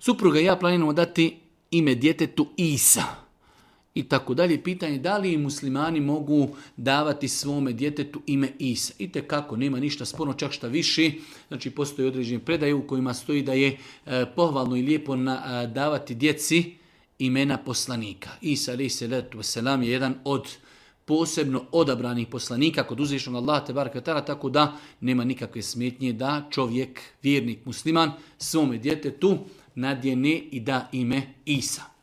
supruga i ja planiramo dati ime djetetu Isa. I tako dalje. Pitanje da li muslimani mogu davati svome djetetu ime Isa. I kako nema ništa sporno, čak šta više. Znači postoji određene predaje u kojima stoji da je pohvalno i lijepo davati djeci imena poslanika. Isa alejhi selatu vesselam je jedan od posebno odabranih poslanika kod uzvišenog Allaha tebareke ve teala, tako da nema nikakve smetnje da čovjek, vjernik musliman, svome djetetu nadjene i da ime Isa.